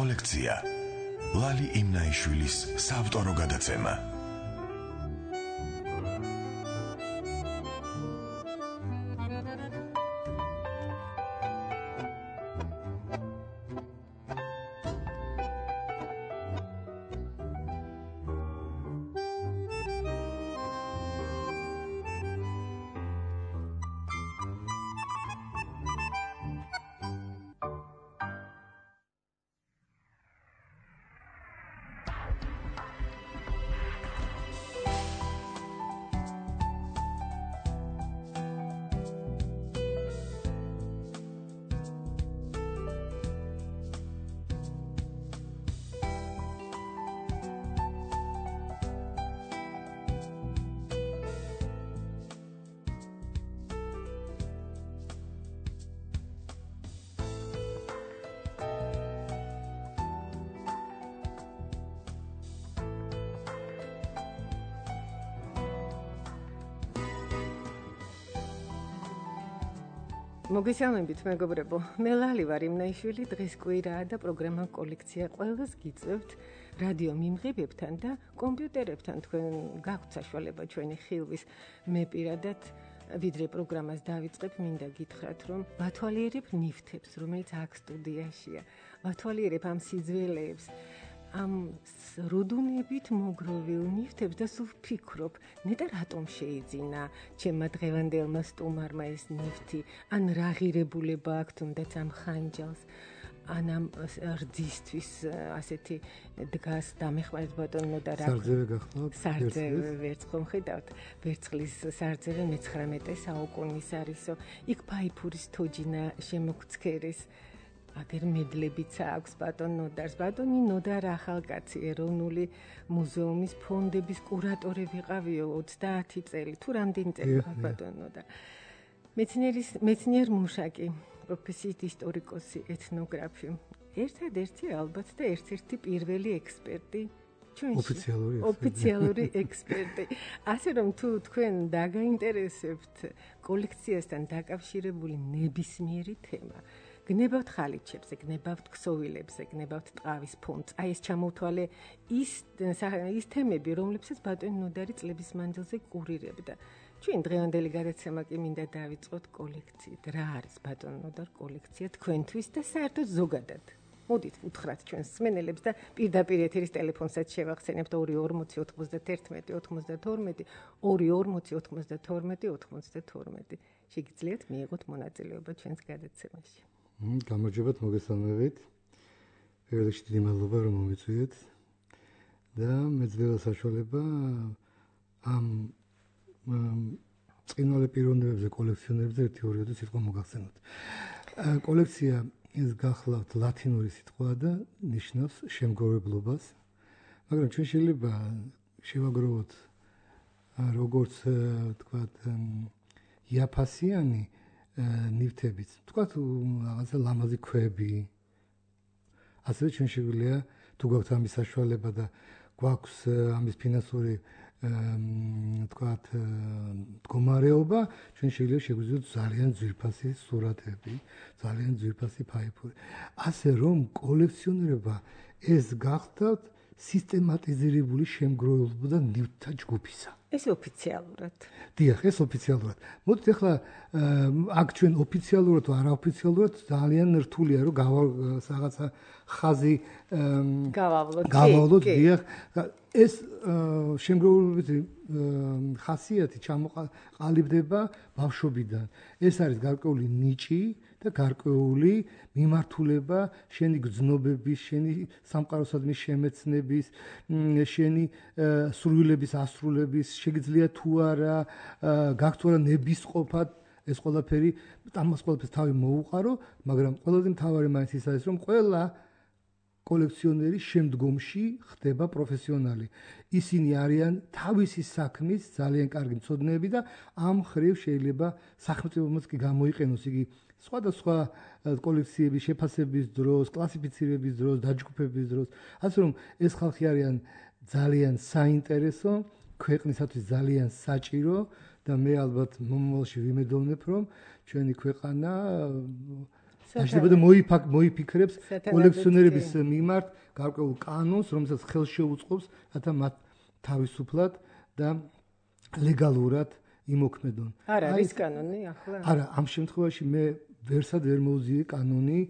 კოლექცია ლალი იმნაიშვილის საავტორო გადაცემა. მოგესალმებით მეგობრებო, მე ლალი ვარ იმნაიშვილი, დღეს კვირაა და პროგრამა კოლექცია ყველას გიწევთ რადიო მიმღებებთან და კომპიუტერებთან თქვენ გაქვთ საშუალება ჩვენი ხილვის. მე პირადად ვიდრე პროგრამას დავიწყებ, მინდა გითხრათ, რომ ვათვალიერებ ნივთებს, რომელიც აქ სტუდიაშია. ვათვალიერებ ამ სიძველეებს, ამ რუდუნებით მოგროვილ ნივთებს და სულ ვფიქრობ, ნეტა რატომ შეიძინა ჩემმა დღევანდელმა სტუმარმა ეს ნივთი, ან რა ღირებულება აქვს თუნდაც ამ ხანჯალს, ან ამ რძისთვის ასეთი დგას დამეხმარეთ ბატონო და რა სარძევე გახსნათ? სარძევე ვერცხლ ხედავთ, ვერცხლის სარძევე მე-19 საუკუნის არისო, იქ ფაიფურის თოჯინა შემოგცქერეს. აგერ მედლებიც აქვს ბატონ ნოდარს. ბატონი ნოდარ ახალკაცი ეროვნული მუზეუმის ფონდების კურატორი ვიყავიო 30 წელი. თუ რამდენი წელი ბატონ ნოდარ. მეცნიერ მუშაკი, პროფესიით ისტორიკოსი, ეთნოგრაფი. ერთადერთი ალბათ და ერთ-ერთი პირველი ექსპერტი ჩვენში. ოფიციალური ექსპერტი. ასე რომ თუ თქვენ დაგაინტერესებთ კოლექციასთან დაკავშირებული ნებისმიერი თემა, გნებავთ ხალიჩებზე, გნებავთ ქსოვილებზე, გნებავთ ტყავის ფონდს. აი ეს ჩამოვთვალე ის თემები, რომლებსაც ბატონი ნოდარი წლების მანძილზე კურირებდა. ჩვენ დღევანდელი გადაცემა კი მინდა დავიწყოთ კოლექციით. რა არის ბატონი ნოდარ კოლექცია თქვენთვის და საერთოდ ზოგადად? მოდით უთხრათ ჩვენს მსმენელებს და პირდაპირ ეთერის ტელეფონსაც შევახსენებთ 240 91 92 240 92 92. შეგიძლიათ მიიღოთ მონაწილეობა ჩვენს გადაცემაში. გამარჯობათ, მოგესალმებით. პირველ რიგში დიდი მადლობა რომ მომიწვიეთ და მეძლევა საშუალება ამ წინვალე პიროვნებებზე, კოლექციონერებზე ერთი-ორი სიტყვა მოგახსენოთ. კოლექცია ეს გახლავთ ლათინური სიტყვა და ნიშნავს შემგროვებლობას, მაგრამ ჩვენ შეიძლება შევაგროვოთ როგორც თქვათ იაფასიანი ნივთებიც, თქვათ რაღაცა ლამაზი ქვები. ასევე ჩვენ შეგვიძლია თუ გვაქვს ამის საშუალება და გვაქვს ამის ფინანსური თქვათ მდგომარეობა, ჩვენ შეგვიძლია ძალიან ძვირფასი სურათები, ძალიან ძვირფასი ფაიფური. ასე რომ კოლექციონერობა ეს გახდათ სისტემატიზირებული შემგროვებლობა და ნივთთა ჯგუფისა. ეს ოფიციალურად. დიახ, ეს ოფიციალურად. მოდით ახლა აქ ჩვენ ოფიციალურად თუ არაოფიციალურად ძალიან რთულია რომ რაღაცა ხაზი გავავლოთ. დიახ, ეს შემგროვებლობის ხასიათი ჩამოყალიბდება ბავშვობიდან. ეს არის გარკვეული ნიჭი და გარკვეული მიმართულება შენი გრძნობების, შენი სამყაროსადმი შემეცნების, შენი სურვილების ასრულების, შეგიძლია თუ არა, გაქვთ თუ არა ნებისყოფად ეს ყველაფერი, ამას ყველაფერს თავი მოუყარო, მაგრამ ყველაზე მთავარი მაინც ის არის, რომ ყველა კოლექციონერი შემდგომში ხდება პროფესიონალი. ისინი არიან თავისი საქმის ძალიან კარგი მცოდნეები და ამ ხრივ შეიძლება სახელმწიფომაც კი გამოიყენოს იგი სხვადასხვა კოლექციების შეფასების დროს, კლასიფიცირების დროს, დაჯგუფების დროს. ასე რომ ეს ხალხი არიან ძალიან საინტერესო, ქვეყნისათვის ძალიან საჭირო და მე ალბათ მომავალში ვიმედოვნებ, რომ ჩვენი ქვეყანა დაჭდება და მოიფიქრებს კოლექციონერების მიმართ გარკვეულ კანონს, რომელსაც ხელს შეუწყობს, რათა მათ თავისუფლად და ლეგალურად იმოქმედონ. არა, ის კანონი ახლა? არა, ამ შემთხვევაში მე ვერსად ვერ მოვზიე კანონი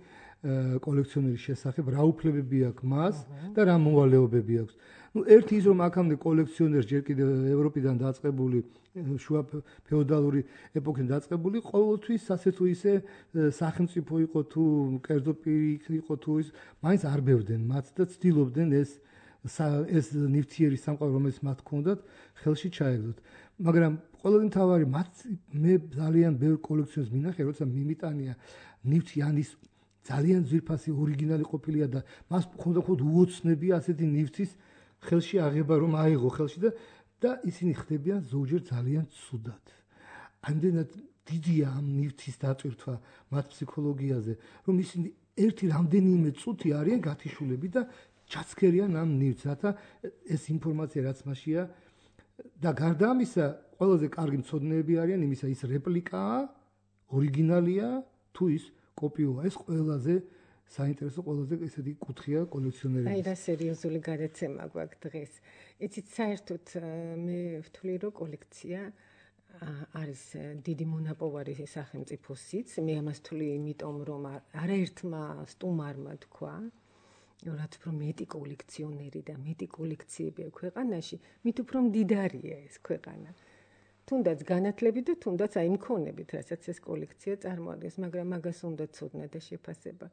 კოლექციონერის შესახებ, რა უფლებები აქვს მას და რა მოვალეობები აქვს. ერთი ის რომ აქამდე კოლექციონერს ჯერ კიდევ ევროპიდან დაწყებული შუა ფეოდალური ეპოქიდან დაწყებული ყოველთვის ასე თუ ისე სახელმწიფო იყო თუ კერძო პირი იყო თუ ის მაინც არ ბევრდნენ მათ და ცდილობდნენ ეს ნივთიერი სამყარო რომელიც მათ ჰქონდათ ხელში ჩაეგდოთ. მაგრამ ყველაზე მთავარი მე ძალიან ბევრ კოლექციონერს მინახე როცა მიმიტანია ნივთი ან ის ძალიან ძვირფასი ორიგინალი ყოფილია და მას ხონდა უოცნები ასეთი ნივთის ხელში აღება რომ აიღო ხელში და ისინი ხდებიან ზოგჯერ ძალიან ცუდად. ამდენად დიდია ამ ნივთის დატვირთვა მათ ფსიქოლოგიაზე, რომ ისინი ერთი რამდენიმე წუთი არიან გათიშულები და ჩაცქერიან ამ ნივთს, რათა ეს ინფორმაცია რაც მასშია და გარდა ამისა, ყველაზე კარგი მცოდნეები არიან იმისა, ის რეპლიკაა, ორიგინალია თუ ის კოპიოა. ეს ყველაზე საინტერესო ყველაზე ესეთი კუთხეა კოლექციონერების. აი რა სერიოზული გადაცემა გვაქვს დღეს. იცით საერთოდ მე ვთვლი რომ კოლექცია არის დიდი მონაპოვარი სახელმწიფოსიც. მე ამას ვთვლი იმიტომ რომ არაერთმა სტუმარმა თქვა რა თქმა უნდა მეტი კოლექციონერი და მეტი კოლექციები აქვს ქვეყანაში, მით უფრო მდიდარია ეს ქვეყანა. თუნდაც განათლებით და თუნდაც აი მქონებით, რასაც ეს კოლექცია წარმოადგენს, მაგრამ მაგას უნდა ცოდნა და შეფასება.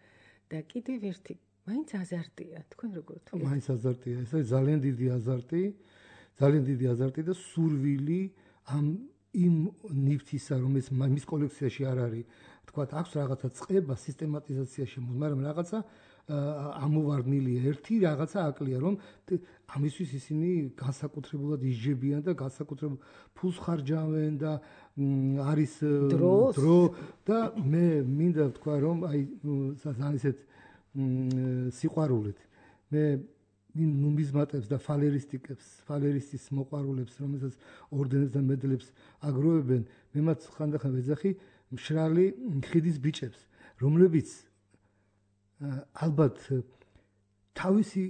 და კიდევ ერთი, მაინც აზარტია, თქვენ როგორ თქვით? მაინც აზარტია, ეს არის ძალიან დიდი აზარტი და სურვილი იმ ნივთისა, რომელიც მის კოლექციაში არ არის, თქვათ, აქვს რაღაცა წყება, სისტემატიზაცია შემოვა, მაგრამ რაღაცა ამოვარდნილია ერთი რაღაცა აკლია, რომ ამისთვის ისინი განსაკუთრებულად ისჯებიან და განსაკუთრებულ ფულს ხარჯავენ და არის დრო და მე მინდა ვთქვა, რომ აი ისეთ სიყვარულით მე ნუმიზმატებს და ფალერისტის მოყვარულებს, რომელსაც ორდენებს და მედლებს აგროვებენ, მე მათ ხანდახან ვეძახი მშრალი ხიდის ბიჭებს, რომლებიც ალბათ თავისი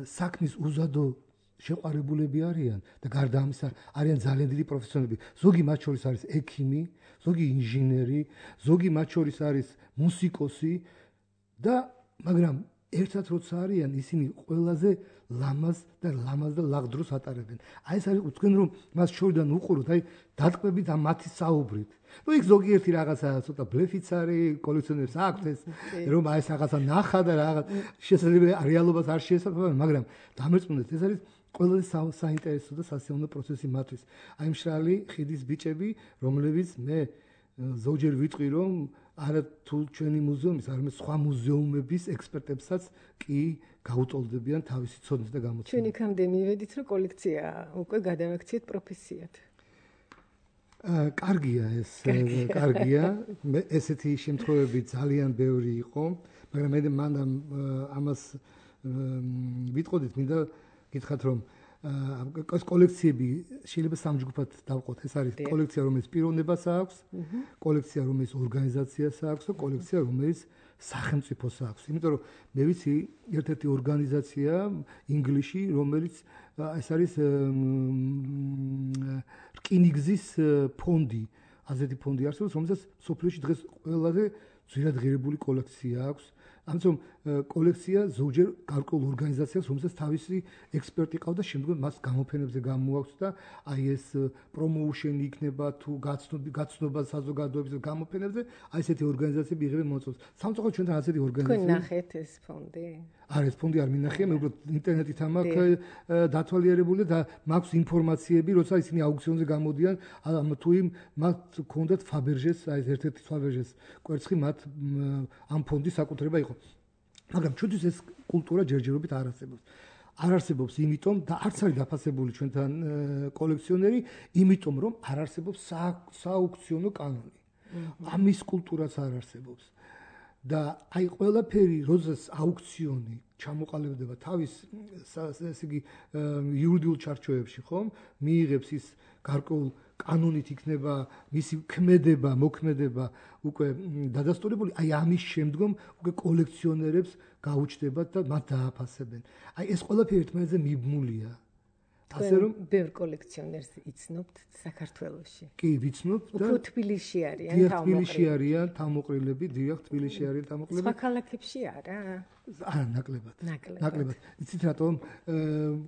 საქმის უზადო შეყვარებულები არიან და გარდა ამისა არიან ძალიან დიდი პროფესიონალები. ზოგი მათ შორის არის ექიმი, ზოგი ინჟინერი, ზოგი მათ შორის არის მუსიკოსი და მაგრამ ერთად როცა არიან ისინი ყველაზე ლამაზ და ლაღდროს ატარებენ. აი ეს არის თქვენ რომ მას შორიდან უყუროთ, აი დატყვებით ამ მათი საუბრით. იქ ზოგიერთი რაღაცა ცოტა ბლეფიც არის, კოლექციონერს აქვს ეს რომ აი ეს რაღაცა ნახა და რაღაც შესაძლებელი რეალობას არ შეესაბამება, მაგრამ დამერწმუნდეთ, ეს არის ყველაზე საინტერესო და სასიამოვნო პროცესი მათთვის. აი მშრალი ხიდის ბიჭები, რომლებიც მე ზოგჯერ ვიტყვი რომ არა თუ ჩვენი მუზეუმის, არამედ სხვა მუზეუმების ექსპერტებსაც კი გაუტოლდებიან თავისი ცოდნით და გამოცდილებით. ჩვენ იქამდე მივედით, რომ კოლექცია უკვე გადავაქციეთ პროფესიად. კარგია ეს, კარგია. ესეთი შემთხვევები ძალიან ბევრი იყო, მაგრამ მე მანდ ამას ვიტყოდით, მინდა გითხრათ რომ ეს კოლექციები შეიძლება სამჯგუფად დავყოთ. ეს არის კოლექცია, რომელიც პიროვნებას აქვს, კოლექცია, რომელიც ორგანიზაციას აქვს და კოლექცია, რომელიც სახელმწიფოს აქვს. იმიტომ რომ მე ვიცი ერთ-ერთი ორგანიზაცია ინგლისში, რომელიც ეს არის რკინიგზის ფონდი. ასეთი ფონდი არსებობს, რომელსაც სოფლიოში დღეს ყველაზე ძვირად ღირებული კოლექცია აქვს. ამიტომ კოლექცია ზოგჯერ გარკვეულ ორგანიზაციას, რომელსაც თავისი ექსპერტი ყავს და შემდგომ მას გამოფენებზე გამოაქვს და აი ეს პრომოუშენი იქნება თუ გაცნობა საზოგადოების გამოფენებზე, აი ესეთი ორგანიზაციები იღებენ მონაწილეობას. სამწუხაროდ ჩვენთან ასეთი ორგანიზაციები. თქვენ ნახეთ ეს ფონდი? არა, ეს ფონდი არ მინახია, მე უბრალოდ ინტერნეტით მაქვს დათვალიერებული და მაქვს ინფორმაციები, როცა ისინი აუქციონზე გამოდიან, თუ იმ მათ ჰქონდათ ფაბერჟეს, აი ერთ-ერთი ფაბერჟეს კვერცხი მათ ამ ფონდის საკუთრება იყო. მაგრამ ჩვენთვის ეს კულტურა ჯერჯერობით არ არსებობს. არ არსებობს იმიტომ და არც არის დაფასებული ჩვენთან კოლექციონერი, იმიტომ რომ არ არსებობს სააუქციონო კანონი. ამის კულტურაც არ არსებობს. და აი ყველაფერი როდესაც აუქციონი ჩამოყალიბდება თავის ესე იგი იურიდიულ ჩარჩოებში ხომ მიიღებს ის გარკვეულ კანონით იქნება მისი მოქმედება უკვე დადასტურებული აი ამის შემდგომ უკვე კოლექციონერებს გაუჩნდებათ და მათ დააფასებენ აი ეს ყველაფერი ერთმანეთზე მიბმულია ასე რომ ბევრ კოლექციონერს იცნობთ საქართველოში. კი, ვიცნობ და უფრო თბილისში არიან თავმოყრილები, დიახ, თბილისში არიან თავმოყრილები. სხვა ქალაქებში არა? არა, ნაკლებად. იცით რატომ?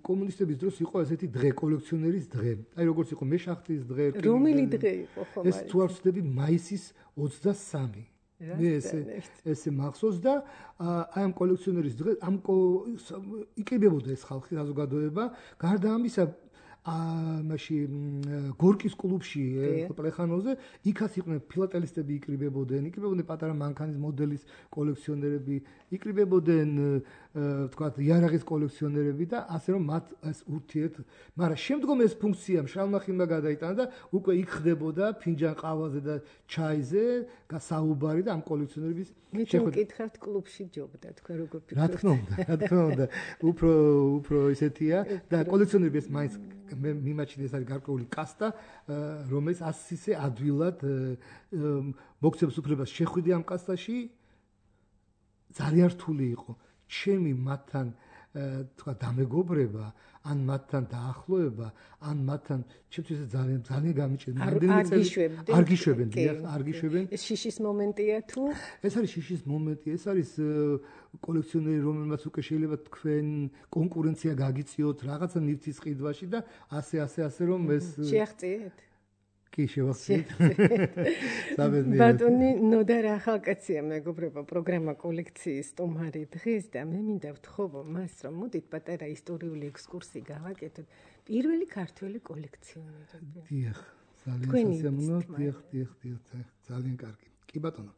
კომუნისტების დროს იყო ესეთი დღე, კოლექციონერის დღე. აი როგორც იყო მეშახტის დღე, რომელი დღე იყო ხომ? ეს თუ არ ვცდები, მაისის 23. მე ესე მახსოვს და აი ამ კოლექციონერის დღე ამ იკრიბებოდა ეს ხალხი საზოგადოება გარდა ამისა მაში გორკის კლუბში პლეხანოზე იქაც იყვნენ ფილატელისტები იკრიბებოდნენ პატარა მანქანის მოდელის კოლექციონერები იკრიბებოდნენ ვთქვათ იარაღის კოლექციონერები და ასე რომ მათ ეს ურთიერთ მაგრამ შემდგომ ეს ფუნქცია მშრალმახილმა გადაიტანა და უკვე იქ ხდებოდა ფინჯან ყავაზე და ჩაიზე გასაუბარი და ამ კოლექციონერების შევკითხავთ კლუბში ჯობდა თქვენ როგორ ფიქრობთ რა თქმა უნდა უფრო ისეთია და კოლექციონერები ეს მაინც მიმაჩნია ეს არის გარკვეული კასტა რომელიც ასისე ადვილად მოგცემს უფლებას შეხვიდე ამ კასტაში ძალიან რთული იყო ჩემი მათთან თქვა დამეგობრება ან მათთან დაახლოება ან მათთან ჩემთვის ძალიან გამიჭირდა არ გიშვებენ ეს შიშის მომენტია თუ ეს არის შიშის მომენტი ეს არის კოლექციონერი რომელმაც უკვე შეიძლება თქვენ კონკურენცია გაგიწიოთ რაღაცა ნივთის ყიდვაში და ასე რომ ეს შეაღწიეთ კი შევახციეთ ბატონი ნოდარ ახალკაცია მეგობრებო პროგრამა კოლექციის სტუმარი დღეს და მე მინდა ვთხოვო მას რომ მოდით პატარა ისტორიული ექსკურსი გავაკეთოთ პირველი ქართველი კოლექციონერები დიახ ძალიან სასიამოვნო დიახ ძალიან კარგი კი ბატონო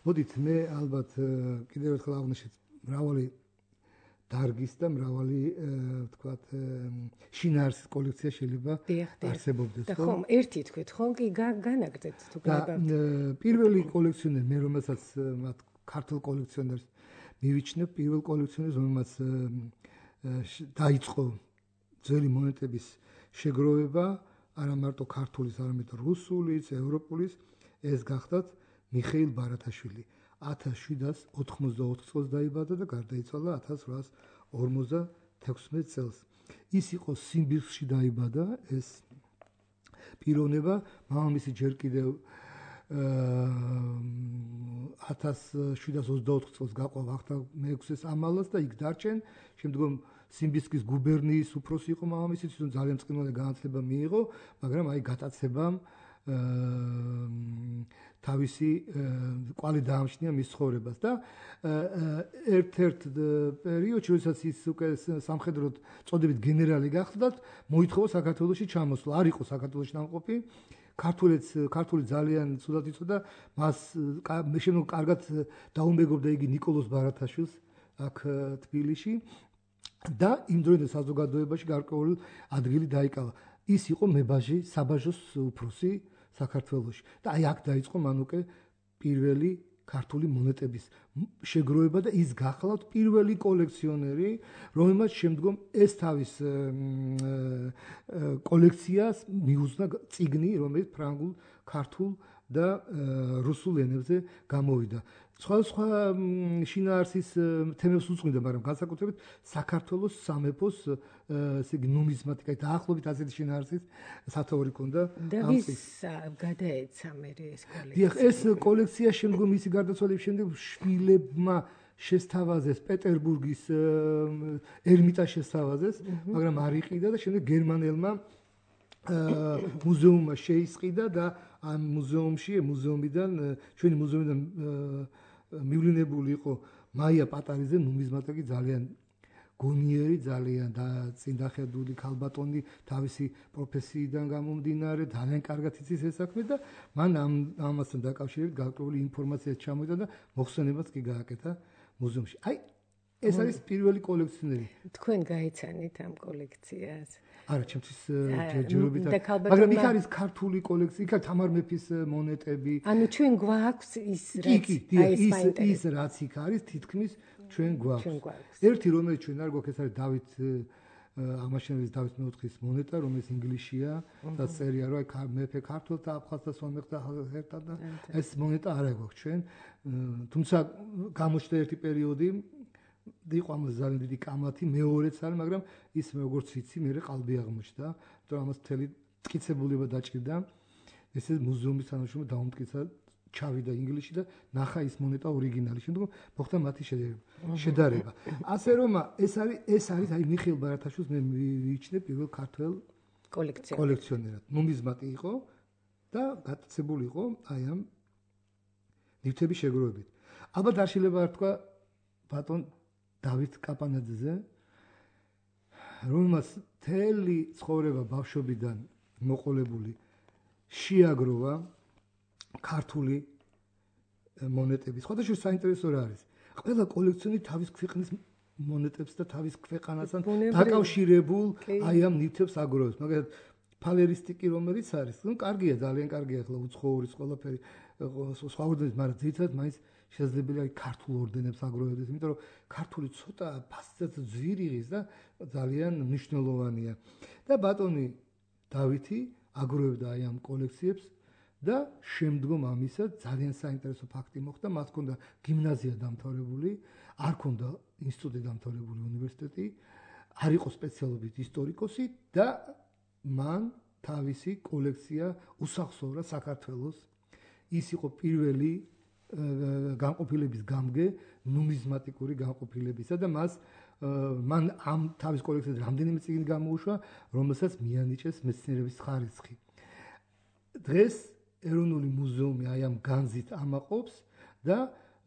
მოდით მე ალბათ კიდევ ერთხელ აღვნიშნეთ მრავალი დარგის და მრავალი ვთქვათ შინაარსის კოლექცია შეიძლება არსებობდეს ხო? ხომ ერთი თქვით ხომ კი განაგრძეთ თუ გაგავთ პირველი კოლექციონერი მე რომელსაც მათ ქართულ კოლექციონერს მივიჩნევ პირველ კოლექციონერს რომელმაც დაიწყო ძველი მონეტების შეგროვება არა მარტო ქართულის არამედ რუსულის ევროპულის ეს გახდათ მიხეილ ბარათაშვილი 1784 წელს დაიბადა და გარდაიცვალა 1856 წელს. ის იყო სიმბირსში დაიბადა ეს პიროვნება, მამამისი ჯერ კიდევ 1724 წელს გაყვა ვახტანგ მეექვსეს ამალას და იქ დარჩენ. შემდგომ სიმბირსკის გუბერნიის უფროსი იყო მამამისი, თვითონ ძალიან წყინვალე განათლება მიიღო, მაგრამ აი გატაცებამ თავისი კვალი დაამჩნია მის ცხოვრებას და ერთ-ერთ პერიოდში, როდესაც ის უკვე სამხედროდ წოდებით გენერალი გახდა, მოითხოვა საქართველოში ჩამოსვლა. არ იყო საქართველოში ნამყოფი. ქართული ძალიან ცუდად იცოდა, მას შემდგომ კარგად დაუმეგობრდა იგი ნიკოლოზ ბარათაშვილს აქ თბილისში და იმ დროინდელ საზოგადოებაში გარკვეული ადგილი დაიკავა. ის იყო მებაჟი საბაჟოს უფროსი საქართველოში და აი აქ დაიწყო მან უკვე პირველი ქართული მონეტების შეგროვება და ის გახლავთ პირველი კოლექციონერი, რომელმაც შემდგომ ეს თავის კოლექციას მიუძღვნა წიგნი, რომელიც ფრანგულ, ქართულ და რუსულ ენებზე გამოვიდა. სხვა შინაარსის თემებს უძღვინდა, მაგრამ განსაკუთრებით საქართველოს სამეფოს ესე იგი ნუმიზმატიკა დაახლოებით ასეთი შინაარსის სათაური ქონდა. და ვის გადაეცა მე ეს კოლექცია? დიახ, ეს კოლექცია შემდგომ მისი გარდაცვალების შემდეგ შვილებმა შესთავაზეს პეტერბურგის ერმიტა შესთავაზეს, მაგრამ არ იყიდა და შემდეგ გერმანელმა მუზეუმმა შეისყიდა და ამ მუზეუმიდან ჩვენი მუზეუმიდან მივლინებული იყო მაია პატარიძე ნუმიზმატიკი ძალიან გონიერი ძალიან და წინდახედული ქალბატონი თავისი პროფესიიდან გამომდინარე ძალიან კარგად იცის ეს საქმე და მან ამასთან დაკავშირებით გარკვეული ინფორმაცია ჩამოიტანა და მოხსენებაც კი გააკეთა მუზეუმში. აი ეს არის პირველი კოლექციონერი. თქვენ გაიცანით ამ კოლექციას? არა, ჩემთვის ჯერჯერობით. მაგრამ იქ არის ქართული კოლექცია, იქ არის თამარ მეფის მონეტები. ანუ ჩვენ გვაქვს ის ის რაც იქ არის, თითქმის ჩვენ გვაქვს. ერთი რომელიც ჩვენ არ გვაქვს, ეს არის დავით აღმაშენებლის დავით მეოთხის მონეტა, რომელიც ინგლისშია და წერია რომ აი მეფე ქართულთა აფხაზთა სომეხთა ერთად და ეს მონეტა არ აქვს ჩვენ. თუმცა გამოჩნდა ერთი პერიოდი იყო ამას ძალიან დიდი კამათი, მეორეც არის, მაგრამ ის როგორც ვიცი, მე ყალბი აღმოჩნდა, იმიტომ რომ ამას მთელი მტკიცებულება დაჭირდა. ესე მუზეუმის თანაშრომლობა დაუმტკიცა, ჩავიდა ინგლისში და ნახა ის მონეტა ორიგინალი. შემდგომ მოხდა მათი შედარება. ასე რომ ეს არის აი მიხეილ ბარათაშვილს მე მივიჩნე პირველ ქართველ კოლექციონერად. ნუმიზმატი იყო და გატაცებული იყო აი ამ ნივთების შეგროვებით. ალბათ არ შეიძლება არ თქვა ბატონ დავით კაპანაძეზე, რომელმაც მთელი ცხოვრება ბავშვობიდან მოყოლებული შეაგროვა ქართული მონეტები. სხვადასხვა საინტერესო რა არის. ყველა კოლექციონერი თავის ქვეყნის მონეტებს და თავის ქვეყანასთან დაკავშირებულ აი ამ ნივთებს აგროვებს. მაგალითად ფალერისტიკი რომელიც არის, ну კარგია, ძალიან კარგია, ახლა უცხოურის ყველაფერი სხვა ორდენებს, მაგრამ ძირითადად მაინც შესაძლებელია ქართულ ორდენებს აგროვებდეს, იმიტომ რომ ქართული ცოტა ფასადაც ძვირიღის და ძალიან მნიშვნელოვანია. და ბატონი დავითი აგროვებდა აი ამ კოლექციებს და შემდგომ ამისა ძალიან საინტერესო ფაქტი მოხდა, მათ ჰქონდა გიმნაზია დამთავრებული, არ ჰქონდა ინსტიტუტი დამთავრებული, უნივერსიტეტი, არ იყო სპეციალობით ისტორიკოსი და მან თავისი კოლექცია უსახსოვრა საქართველოს. ის იყო პირველი განყოფილების გამგე ნუმიზმატიკური განყოფილებისა და მან ამ თავის კოლექციაზე რამდენიმე წიგნი გამოუშვა, რომელსაც მიანიჭეს მეცნიერების ხარისხი. დღეს ეროვნული მუზეუმი აი ამ განზით ამაყობს და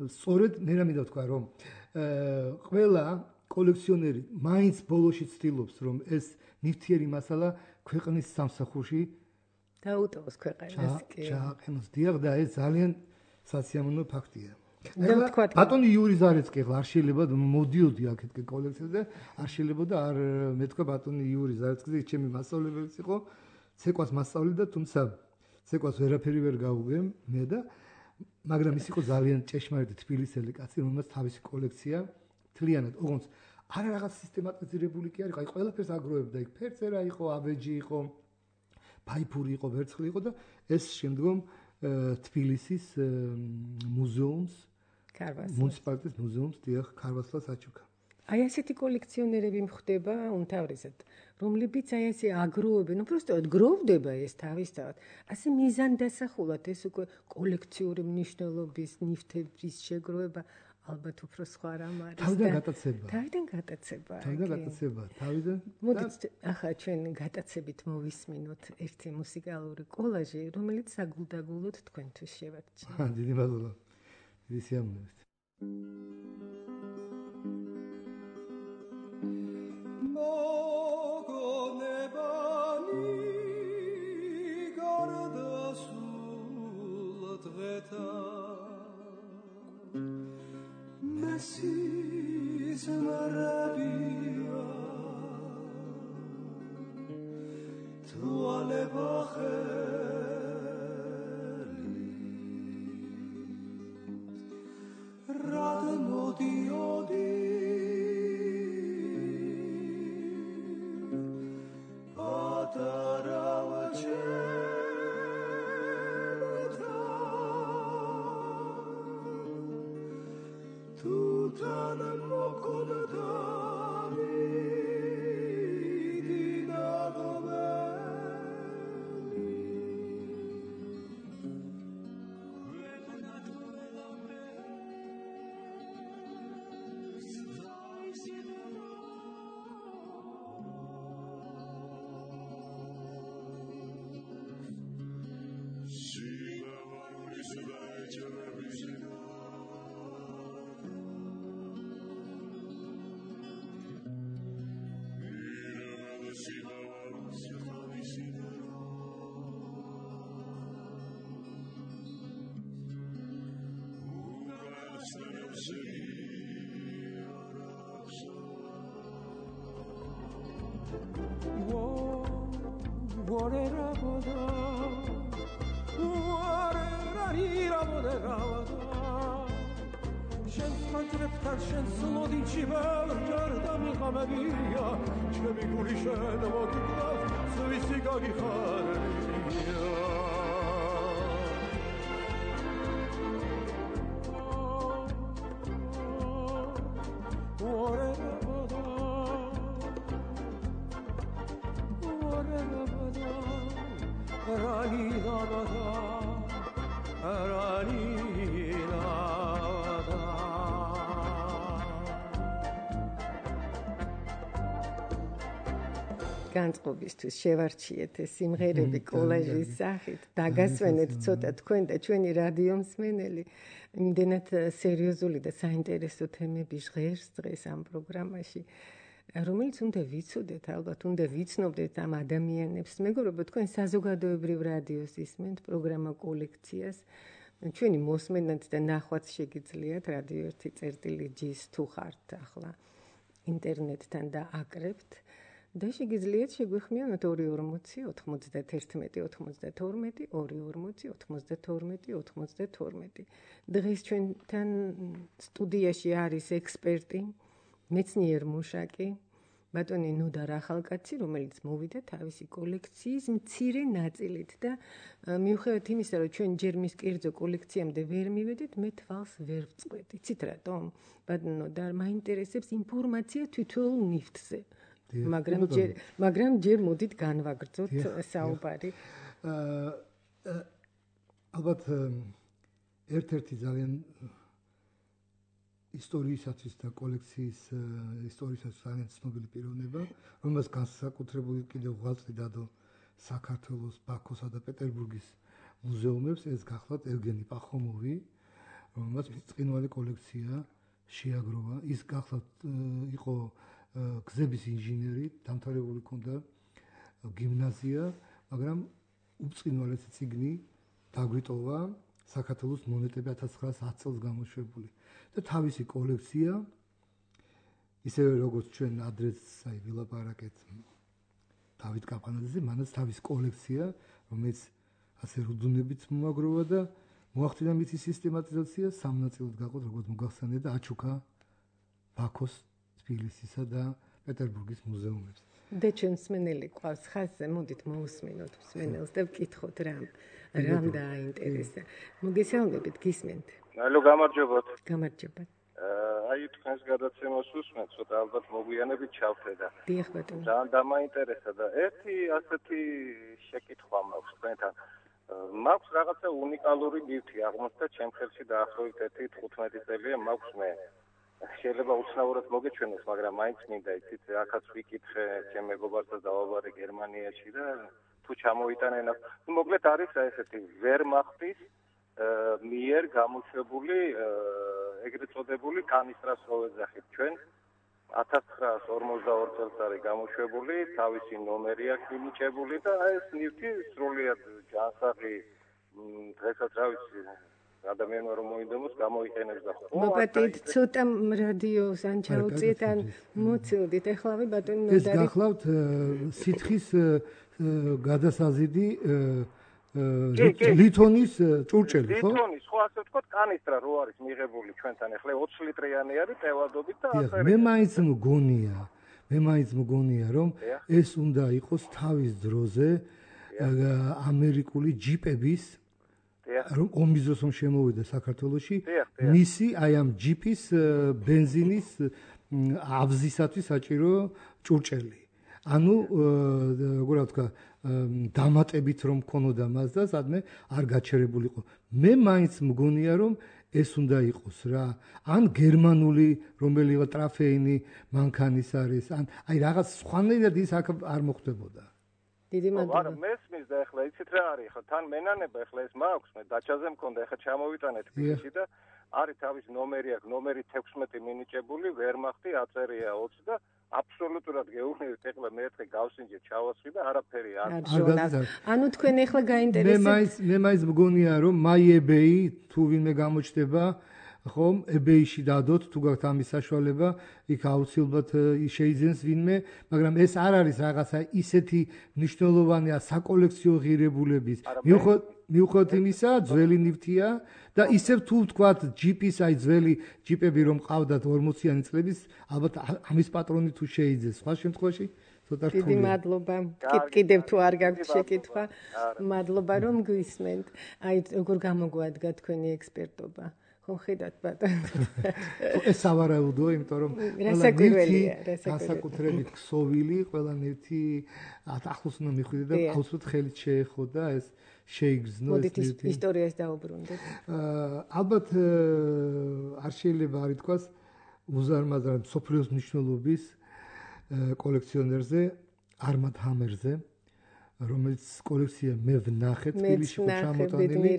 სწორედ მე მინდა ვთქვა, რომ ყველა კოლექციონერი მაინც ბოლოში ცდილობს, რომ ეს ნივთიერი მასალა ქვეყნის სამსახურში დაუტოვოს ქვეყანას კი. ჩააყენოს. დიახ და ეს ძალიან სასიამოვნო ფაქტია. ბატონი იური ზარეცკი არ შეიძლება მოდიოდი აქეთკე კოლექციაზე, არ შეიძლება და არ მეთქვა ბატონი იური ზარეცკიზე, ჩემი მასწავლებელიც იყო, ცეკვას მასწავლიდა, თუმცა ცეკვას ვერაფერი ვერ გავუგე მე და მაგრამ ის იყო ძალიან ჭეშმარიტი თბილისელი კაცი, რომელსაც თავისი კოლექცია მთლიანად, ოღონდ არა რაღაც სისტემატიზირებული კი არ იყო, აი ყველაფერს აგროვებდა, იქ ფერწერა იყო, აბეჯი იყო, ფაიფური იყო, ვერცხლი იყო და ეს შემდგომ თბილისის მუზეუმს, მუნიციპალიტეტის მუზეუმს დიახ ქარვასლას აჩუქა. აი ასეთი კოლექციონერები მხდება უმთავრესად, რომლებიც აი ესე აგროვებენ, უბრალოდ გროვდება ეს თავისთავად. ასე მიზანდასახულად ეს უკვე კოლექციური მნიშვნელობის ნივთების შეგროვება ალბათ უფრო სხვა რამ არის. თავიდან გატაცება. თავიდან. მოდით ახლა ჩვენ გატაცებით მოვისმინოთ ერთი მუსიკალური კოლაჟი, რომელიც საგულდაგულოდ თქვენთვის შევარჩიე. დიდი მადლობა. დიდი სიამოვნებით. Messis maravilla Toi le bacheli Rad modiodi შენ ხანძრებთან შენ სლოდი ჩიბალ ჯარდა მიყამებია ჩემი გული შენ მოგიკლავს სვისი გაგიხარებია განწყობისთვის შევარჩიეთ ეს სიმღერები კოლაჟის სახით, დაგასვენეთ ცოტა თქვენ და ჩვენი რადიო მსმენელი. იმდენად სერიოზული და საინტერესო თემები ჟღერს დღეს ამ პროგრამაში, რომელიც უნდა ვიცოდეთ, ალბათ უნდა ვიცნობდეთ ამ ადამიანებს. მეგობრებო, თქვენ საზოგადოებრივ რადიოს ისმენთ პროგრამა კოლექციას. ჩვენი მოსმენად და ნახვაც შეგიძლიათ რადიო 1.ჟ-ს თუ ხართ ახლა ინტერნეტთან და აკრებთ. და შეგიძლიათ შეგვიხმიანოთ 240 91 92 240 92 92. დღეს ჩვენთან სტუდიაში არის ექსპერტი, მეცნიერ მუშაკი, ბატონი ნოდარ ახალკაცი, რომელიც მოვიდა თავისი კოლექციის მცირე ნაწილით და მიუხედავად იმისა, რომ ჩვენ ჯერ მის კერძო კოლექციამდე ვერ მივედით, მე თვალს ვერ ვწყვეტ. იცით რატომ? ბატონო ნოდარ, მაინტერესებს ინფორმაცია თითოეულ ნივთზე. მაგრამ ჯერ მოდით განვაგრძოთ საუბარი. ალბათ ერთ-ერთი ძალიან ისტორიისათვის და კოლექციის ისტორიისათვის ძალიან ცნობილი პიროვნება, რომელსაც განსაკუთრებული კიდევ ღვაწლი დადო საქართველოს, ბაქოსა და პეტერბურგის მუზეუმებს, ეს გახლავთ ევგენი პახომოვი, რომელსაც ბრწყინვალე კოლექცია შეაგროვა. ის გახლავთ იყო გზების ინჟინერი, დამთავრებული ჰქონდა გიმნაზია, მაგრამ უბრწყინვალესი წიგნი დაგვიტოვა საქართველოს მონეტები 1910 წელს გამოშვებული. და თავისი კოლექცია, ისევე როგორც ჩვენ ადრეს ვილაპარაკეთ დავით კაპანაძეზე, მანაც თავის კოლექცია, რომელიც ასე რუდუნებით მოაგროვა და მოახდინა მისი სისტემატიზაცია, სამ ნაწილად გაყოთ, როგორც მოგახსენეთ და აჩუქა ბაქოს, თბილისისა და პეტერბურგის მუზეუმებს. და ჩვენ მსმენელი ყავს ხაზზე, მოდით მოусმინოთ მსმენელს და ვკითხოთ რამ დააინტერესა. მოგესალმებით, გისმენთ. ალო, გამარჯობათ. გამარჯობა. აი თქვენს გადაცემას უსმენთ, ცოტა ალბათ მოგვიანებით ჩავთედა. დიახ ბატონო. ძალიან დამაინტერესა და ერთი ასეთი შეკითხვა მაქვს თქვენთან. მაქვს რაღაცა უნიკალური ნივთი აღმოჩნდა ჩემ ხელში დაახლოებით 15 წელია მაქვს მე. შეიძლება უცნაურად მოგეჩვენოს, მაგრამ მაინც მინდა იცით, ახაც ვიკითხე ჩემ მეგობართან დავაბარე გერმანიაში და თუ ჩამოიტანენ, მოკლედ არის ესეთი ვერმახტის მიერ გამოშვებული ეგრეთ წოდებული კანისტრას რო ეძახით ჩვენ 1942 წელს არის გამოშვებული, თავისი ნომერი აქვს მინიჭებული და ეს ნივთი სრულიად ჯანსაღი დღესაც რა ვიცი ადამიანმა რომ მოინდომოს გამოიყენებს და ხო მოგატით ცოტა რადიოს ან ჩაუწიეთ ან მოცილდით ახლავე ბატონი ნოდარი ეს გახლავთ სითხის გადასაზიდი ლითონის ჭურჭელი ხო? ლითონის ხო ასე ვთქვათ კანისტრა რო არის მიღებული ჩვენთან ახლა 20 ლიტრიანი არის ტევადობით და ასე მე მაინც მგონია რომ ეს უნდა იყოს თავის დროზე ამერიკული ჯიპების რომ ომის დროს შემოვიდა საქართველოში მისი აი ამ ჯიპის ბენზინის აბზისათვის საჭირო ჭურჭელი. ანუ როგორ ვთქვა დამატებით რომ ქონოდა მას და სადმე არ გაჩერებულიყო. მე მაინც მგონია რომ ეს უნდა იყოს რა. ან გერმანული რომელიღა ტრაფეინი მანქანის არის, ან აი რაღაც სხვანაირად ის აქ არ მოხდებოდა. დიდი მადლობა. მაგრამ მესმის და ახლა იცით რა არის, ხო თან მენანება ახლა ეს მაქვს, მე დაჩაზე მქონდა, ახლა ჩამოვიტანეთ თბილისში და არის თავის ნომერი აქვს, ნომერი 16 მინიჭებული, ვერმახტი აწერია 20 და აბსოლუტურად გეუბნებით, ახლა მე ერთხელ გავსინჯე, ჩავასხი და არაფერი არ ანუ თქვენ ახლა გაინტერესებთ. მე მაინც მგონია რომ მაიებეი თუ ვინმე გამოჩნდება ხომ eBay-ში დადოთ თუ გაქვთ ამის საშუალება იქ აუცილებლად შეიძენს ვინმე მაგრამ ეს არ არის რაღაცა ისეთი მნიშვნელოვანია საკოლექციო ღირებულების მიუხედავად იმისა ძველი ნივთია და ისევ თუ ვთქვათ ჯიპის აი ძველი ჯიპები რომ ყავდათ 40-იანი წლების ალბათ ამის პატრონი თუ შეიძენს სხვა შემთხვევაში ცოტა რთულია. დიდი მადლობა. კიდევ თუ არ გაქვთ შეკითხვა, მადლობა რომ გვისმენთ. აი როგორ გამოგვადგა თქვენი ექსპერტობა. ხომ ხედავთ ბატონო. ეს სავარაუდოა, იმიტომ რომ განსაკუთრებით ქსოვილი, ყველანაირი ახლოს უნდა მიხვიდე და აუცილებლად ხელით შეეხოდა ეს შეიგრძნო ეს მოდით ისტორიას დაუბრუნდეთ. ალბათ არ შეიძლება არ ითქვას უზარმაზარ სოფლიოს მნიშვნელობის კოლექციონერზე არმად ჰამერზე რომელიც კოლექცია მე ვნახე თბილისში ხო ჩამოტანილი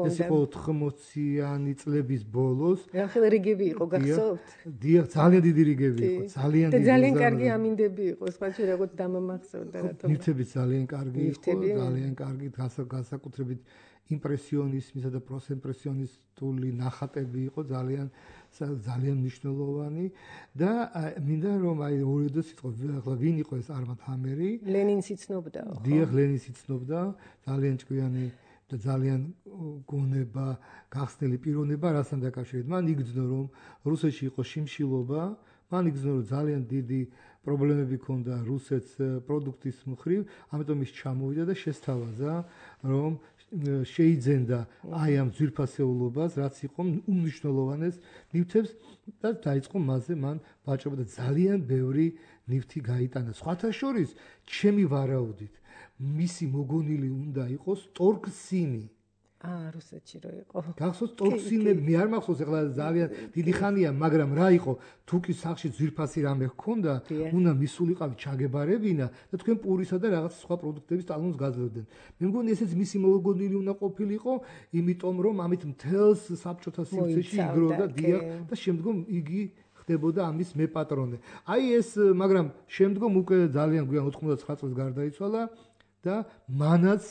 ეს იყო 80-იანი წლების ბოლოს რა რიგები იყო გახსოვთ? დიახ ძალიან დიდი რიგები იყო ძალიან დიდი და ძალიან კარგი ამინდები იყო სხვაჩი როგორც დამამახსოვრდა რატომ ნივთები ძალიან კარგი იყო ძალიან კარგი განსაკუთრებით იმპრესიონიზმისა და პროსიმპრესიონისტული ნახატები იყო ძალიან მნიშვნელოვანი და მინდა რომ აი ორი სიტყვა ახლა ვინ იყო ეს არმად ჰამერი ლენინს იცნობდა ხო? დიახ ლენინს იცნობდა ძალიან ჭკვიანი და ძალიან გონება გახსნილი პიროვნება რასთან დაკავშირებით მან იგრძნო რომ რუსეთში იყო შიმშილობა მან იგრძნო რომ ძალიან დიდი პრობლემები ჰქონდა რუსეთს პროდუქტის მხრივ ამიტომ ის ჩამოვიდა და შესთავაზა რომ შეიძენდა აი ამ ძვირფასეულობას რაც იყო უმნიშვნელოვანეს ნივთებს და დაიწყო მასზე მან ვაჭრობა და ძალიან ბევრი ნივთი გაიტანა სხვათა შორის ჩემი ვარაუდით მისი მოგონილი უნდა იყოს ტორქსინი რუსეთში რო იყო გახსოვს ტორქსინები მე არ მახსოვს ახლა ძალიან დიდი ხანია მაგრამ რა იყო თუკი სახში ძვირფასი რამე ჰქონდა უნდა მისულიყავი ჩაგებარებინა და თქვენ პურისა და რაღაც სხვა პროდუქტების ტალონს გაძლევდნენ მე მგონი ესეც მისი მოგონილი უნდა ყოფილიყო იმიტომ რომ ამით მთელს საბჭოთა სივრცეში იგროვდა დიახ და შემდგომ იგი ხდებოდა ამის მეპატრონე აი ეს მაგრამ შემდგომ უკვე ძალიან გვიან 99 წელს გარდაიცვალა და მანაც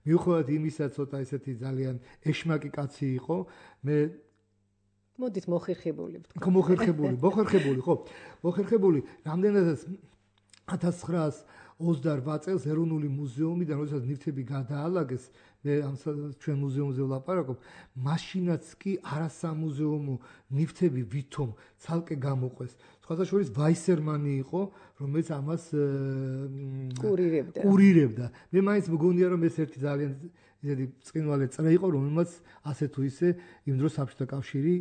მიუხედავად იმისა ცოტა ესეთი ძალიან ეშმაკი კაცი იყო მე მოდით მოხერხებული ვთქვა მოხერხებული ხო მოხერხებული რამდენადაც 1928 წელს ეროვნული მუზეუმიდან როდესაც ნივთები გადაალაგეს მე ამ ჩვენ მუზეუმზე ვლაპარაკობ მაშინაც კი არასამუზეუმო ნივთები ვითომ ცალკე გამოყვეს სხვათა შორის ვაისერმანი იყო რომელიც ამას კურირებდა მე მაინც მგონია რომ ეს ერთი ძალიან ისეთი წინვალე წრე იყო რომელმაც ასე თუ ისე იმ დროს საბჭოთა კავშირი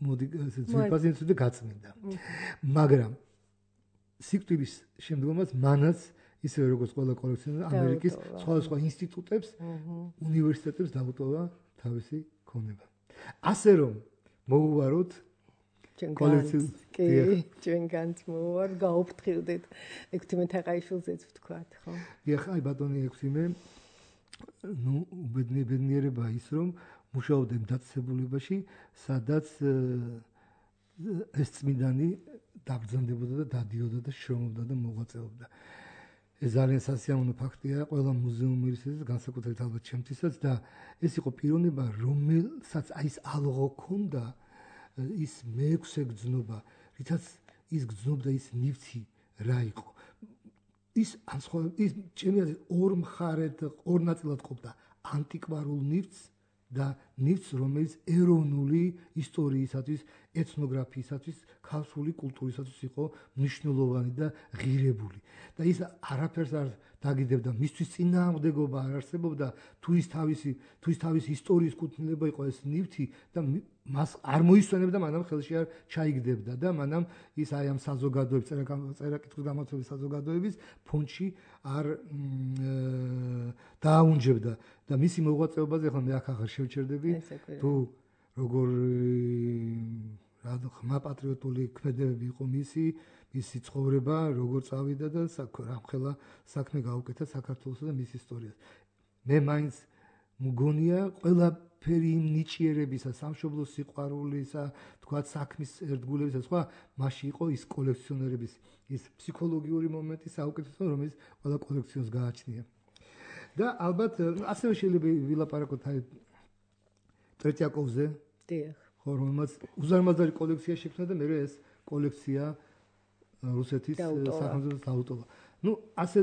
მოდი ესე ძვირფასი გაწმინდა მაგრამ სიკვდილის შემდგომაც მანაც ისე როგორც ყველა კოლექციონერი ამერიკის სხვადასხვა ინსტიტუტებს უნივერსიტეტებს დაუტოვა თავისი ქონება ასე რომ მოუვაროთ ჩვენ განც მოვარ გაუფრთხილდეთ ექვთიმე თაყაიშვილზეც ვთქვათ ხო დიახ აი ბატონი ექვთიმე ნუ ბედნიერება ის რომ მუშაობდნენ დაწესებულებაში სადაც ეს წმინდანი დაბრძანდებოდა და დადიოდა და შრომობდა და მოღვაწეობდა ეს ძალიან სასიამოვნო ფაქტია ყველა მუზეუმერის განსაკუთრებით ალბათ ჩემთვისაც და ეს იყო პიროვნება რომელსაც აი ეს ალღო ქონდა ის მეექვსე გრძნობა რითაც ის გრძნობდა ის ნივთი რა იყო ის ჩემი აზრით ორ მხარედ ორ ნაწილად ყოფდა ანტიკვარულ ნივთს და ნივთს რომელიც ეროვნული ისტორიისათვის ეთნოგრაფიისათვის ქართული კულტურისათვის იყო მნიშვნელოვანი და ღირებული და ის არაფერს არ დაგიდებდა მისთვის წინააღმდეგობა არ არსებობდა თუ ის თავისი ისტორიის კუთვნილება იყო ეს ნივთი და მას არ მოისვენებდა მანამ ხელში არ ჩაიგდებდა და მანამ ის აი ამ საზოგადოების წერა-კითხვის გამართობის საზოგადოების ფონდში არ დააუნჯებდა და მისი მოღვაწეობაზე ახლა მე აქ აღარ შევჩერდები თუ როგორ ხმა პატრიოტული ქმედებები იყო მისი ცხოვრება როგორ წავიდა და რამხელა საქმე გაუკეთა საქართველოსა და მის ისტორიას მე მაინც მგონია ყველაფერი იმ ნიჭიერებისა სამშობლოს სიყვარულისა თქვა საქმის ერთგულებისა სხვა მასში იყო ის კოლექციონერების ის ფსიქოლოგიური მომენტი საუკეთესო რომელიც ყველა კოლექციონს გააჩნია და ალბათ ასევე შეიძლება ვილაპარაკოთ აი ტრეტიაკოვზე დიახ ხო ხო, რომელმაც უზარმაზარი კოლექცია შექმნა და მე ეს კოლექცია რუსეთის სახელმწიფოს დაუტოვა. ნუ ასე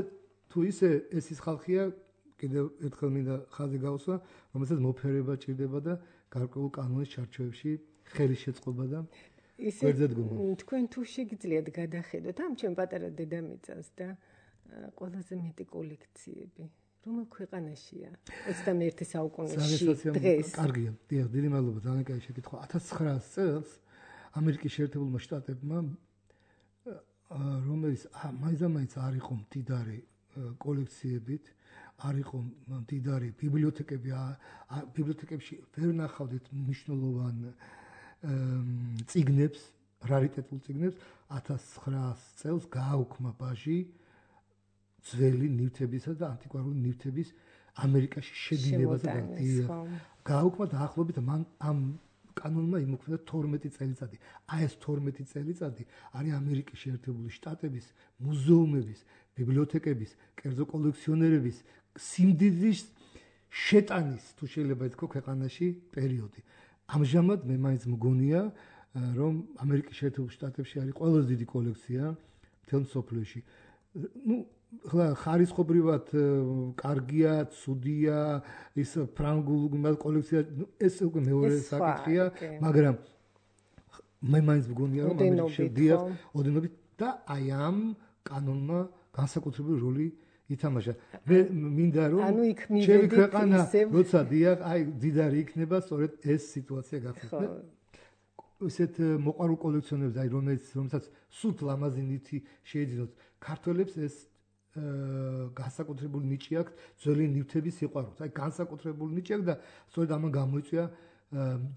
თუ ისე ეს ის ხალხია, კიდევ ერთხელ მინდა ხაზი გავუსვა, რომელსაც მოფერება ჭირდება და გარკვეულ კანონის ჩარჩოებში ხელის შეწყობა და გვერდზე დგომა. თქვენ თუ შეგიძლიათ გადახედოთ ამ ჩემ პატარა დედამიწას და ყველაზე მეტი კოლექციები რომელ ქვეყანაშია 21 საუკუნეში დღეს? კარგია, დიახ, დიდი მადლობა, ძალიან კაი შეკითხვა. 1900 წელს ამერიკის შეერთებულმა შტატებმა რომელიც მაინც არ იყო მდიდარი კოლექციებით, არ იყო მდიდარი ბიბლიოთეკები, ბიბლიოთეკებში ვერ ნახავდით მნიშვნელოვან წიგნებს, რარიტეტულ წიგნებს. 1900 წელს გააუქმა ბაჟი ძველი ნივთებისა და ანტიკვარული ნივთების ამერიკაში შედინებაზე გააუქმა დაახლოებით ამ კანონმა იმოქმედა 12 წელიწადი. აი ეს 12 წელიწადი არის ამერიკის შეერთებული შტატების მუზეუმების, ბიბლიოთეკების, კერძო კოლექციონერების სიმდიდრის შეტანის, თუ შეიძლება ითქვა, ქვეყანაში პერიოდი. ამჟამად მე მაინც მგონია, რომ ამერიკის შეერთებულ შტატებში არის ყველაზე დიდი კოლექცია მთელ მსოფლიოში. ნუ ხარისხობრივად კარგია, ცუდია, ის ფრანგულ კოლექცია, ეს უკვე მეორე საკითხია, მაგრამ მე მაინც მგონია, რომ ამერიკის შედიახ ოდენობით და აი ამ კანონმა განსაკუთრებული როლი ითამაშა. მე მინდა რომ ჩემი ქვეყანა როცა დიახ, აი დიდარი იქნება, სწორედ ეს სიტუაცია გახდეს. ესეთ მოყვარულ კოლექციონერებს, აი რომელსაც სულ ლამაზი ნივთი შეეძინოთ, ქართველებს ეს განსაკუთრებული ნიჭი აქვს ძველი ნივთების სიყვარულს. აი განსაკუთრებული ნიჭი აქვს და სწორედ ამან გამოიწვია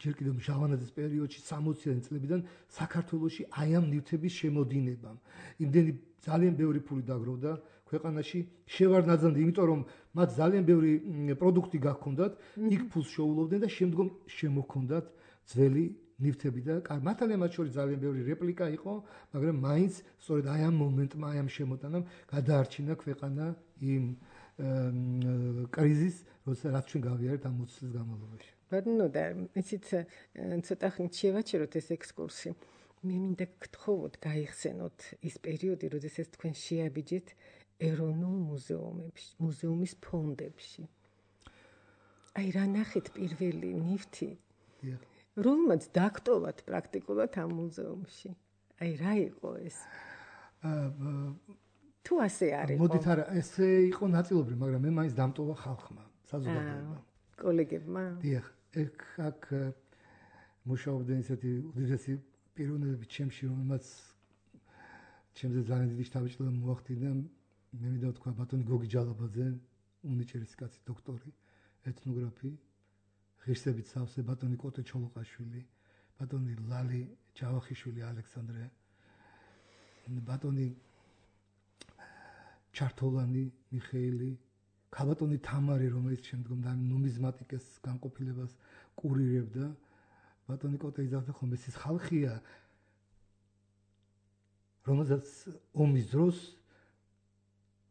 ჯერ კიდევ ჟავანაძის პერიოდში 60-იანი წლებიდან საქართველოში აი ამ ნივთების შემოდინებამ. იმდენი ძალიან ბევრი ფული დაგროვდა ქვეყანაში, შევარნაძამდე, იმიტომ რომ მათ ძალიან ბევრი პროდუქტი გაქონდათ, იქ ფულს შეულოვდნენ და შემდგომ შემოქონდათ ძველი ნივთები და მართალია მათ შორის ძალიან ბევრი რეპლიკა იყო, მაგრამ მაინც სწორედ აი ამ მომენტმა, აი ამ შემოტანამ გადაარჩინა ქვეყანა იმ კრიზისს, რაც ჩვენ გავიარეთ ამ 20 წლის განმავლობაში. ბატონო და ისიც ცოტა ხნით შევაჩეროთ ეს ექსკურსი. მე მინდა გთხოვოთ, გაიხსენოთ ის პერიოდი, როდესაც თქვენ შეაბიჯეთ ეროვნულ მუზეუმებში, მუზეუმის ფონდებში. აი რა ნახეთ პირველი ნივთი? რომელმაც დაგტოვათ პრაქტიკულად ამ მუზეუმში. აი რა იყო ეს? თუ ასე არის. მოდით არა, ესე იყო ნაწილობრივ, მაგრამ მე მაინც დამტოვა ხალხმა, საზოგადოებამ. კოლეგებმა? დიახ, აქ მუშაობდნენ ისეთი უდიდესი პიროვნებები ჩემში, რომელმაც ჩემზე ძალიან დიდი შთაბეჭდილება მოახდინა. მე მინდა ვთქვა ბატონი გოგი ჯალაბაძე, უნიჭერის კაცი დოქტორი, ეთნოგრაფი, ღირსებით სავსე ბატონი კოტე ჩოლოყაშვილი, ბატონი ლალი ჯავახიშვილი ალექსანდრე, ბატონი ჩართოლანი მიხეილი, ქალბატონი თამარი, რომელიც შემდგომ ნუმიზმატიკის განყოფილებას კურირებდა. ბატონი კოტე იძახდა ხოლმე, ეს ხალხია, რომელსაც ომის დროს